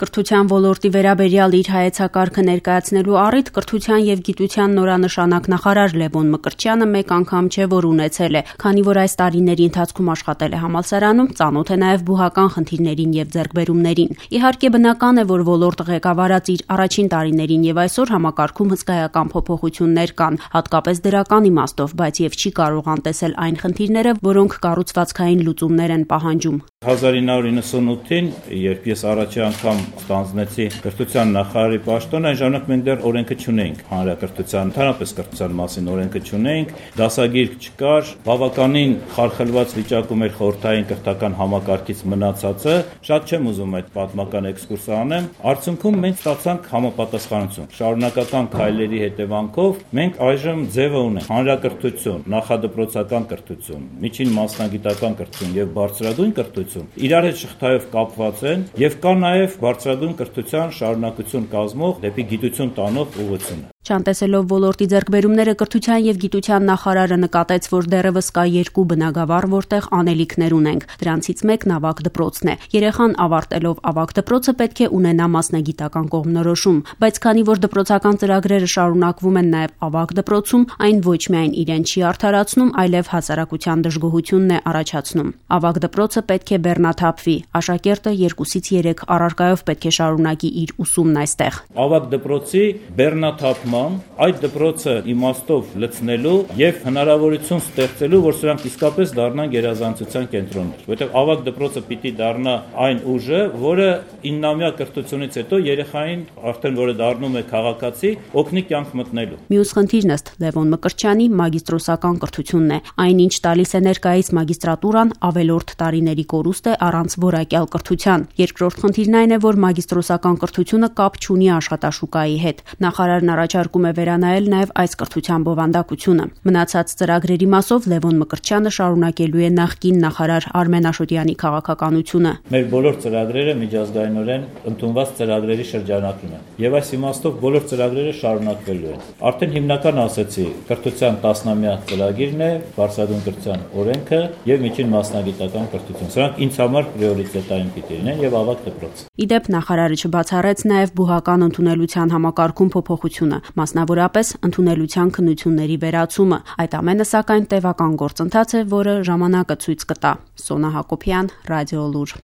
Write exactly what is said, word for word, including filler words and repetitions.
Կրթության ոլորտի վերաբերյալ իր հայեցակարգը ներկայացնելու առիթ կրթության եւ գիտության նորանշանակ նախարար Լևոն Մկրտչյանը մեկ անգամ չէ, որ ունեցել է, քանի որ այս տարիների ընթացքում աշխատել է համալսարանում, ծանոթ է նաեւ բուհական խնդիրներին եւ ձեռքբերումներին։ Իհարկե բնական է, որ ոլորտը ղեկավարած իր առաջին տարիներին եւ այսօր համակարգում հսկայական փոփոխություններ կան, հատկապես դրական իմաստով, բայց եւ չի կարող անտեսել այն խնդիրները, որոնք կառուցվածքային լուծումներ են պահանջում։ հազար ինը հարյուր նվսանութին, երբ ես առաջի անգամ ստանձնեցի կրթության նախարարի պաշտոնը, այն ժամանակ մենք դեռ օրենքը չունեինք, հանրակրթության, ընդհանրապես կրթության մասին օրենքը չունեինք, դասագիրք չկար, բավականին խարխլված վիճակում էր խորհրդային կրթական համակարգից մնացածը, շատ չեմ ուզում այդ պատմական էքսկուրսը անեմ, արդյունքում մենք ստացանք համապատասխանություն։ Շարունակական քայլերի հետևանքով մենք այժմ ձևը ունենք հանրակրթություն, նախադպրոցական կրթություն, միջին մասնագիտական կրթություն եւ բարձրագույն կրթություն իրար հետ շղթայով կապված են եւ կա նաեւ բարձրագույն կրթության շարունակություն կազմող դեպի գիտություն տանող ուղղություն։ Չանտեսելով ոլորտի ձեռքբերումները կրթության եւ գիտության նախարարը նկատեց, որ դեռևս կա երկու բնագավառ, որտեղ անելիքներ ունենք։ Դրանցից մեկն ավագ դպրոցն է։ Երեխան ավարտելով ավագ դպրոցը պետք է ունենա մասնագիտական կողմնորոշում, բայց քանի որ դպրոցական ծրագրերը շարունակվում են նաեւ ավագ դպրոցում, այն ոչ միայն իրեն չի արդարացնում, այլև հասարակության դժգոհությունն է առաջացնում։ Ավագ դպրոցը պետք է բեռնաթափվի։ Աշակերտը երկուսից երեք առարկայով պետք է շարունակի իր ուսումն այստեղ։ Ավագ դպրոցի բեռնաթափման, այդ դպրոցը իմաստով լցնելու եւ հնարավորություն ստեղծելու, որ սրանք իսկապես դառնան գերազանցության կենտրոններ, որտեղ ավագ դպրոցը պիտի դառնա այն ուժը, որը իննամյա կրթությունից հետո երեխային արդեն որը դառնում է քաղաքացի, օգնի կյանք մտնելու։ Մյուս խնդիրն ըստ Լևոն Մկրտչյանի մագիստրոսական կրթությունն է։ Այնինչ տալիս է ներկայիս մագիստրատուրան ավելորդ տարիների կորուստ է առանց որակյալ կրթության։ Երկրորդ խնդիրն այն է, որ մագիստրոսական կրթությունը կապ չունի աշխատաշուկայի հետ։ Նախարարն առաջարկում է վերանայել նաև այս կրթության բովանդակությունը։ Մնացած ծրագրերի մասով Լևոն Մկրտչյանը շարունակելու է նախկին նախարար Արմեն Աշոտյանի քաղաքականությունը։ Մեր բոլոր ծրագրերը միջազգայինորեն ընդունված ծրագրերի շրջանակում են, եւ այս իմաստով բոլոր ծրագրերը շարունակվելու են։ Արդեն հիմնական ասեցի, կրթության տասնամյա ծրագիրն է, բարձրագույն կրթության օրենքը եւ միջին մասնագիտական կրթություն։ Սրանք ինձ համար պրիորիտետային պիտի լինեն եւ ավագ դպրոց։ Իդեպ նախարարը չբացառեց նաեւ բուհական ընդունելության համակարգում փոփոխությունը, մասնավորապես ընդունելության քննությունների վերացումը։ Այդ ամենը սակայն տևական գործընթաց է, որը ժամանակը ցույց կտա։ Սոնա Հակոբյան, Ռադիոլուր։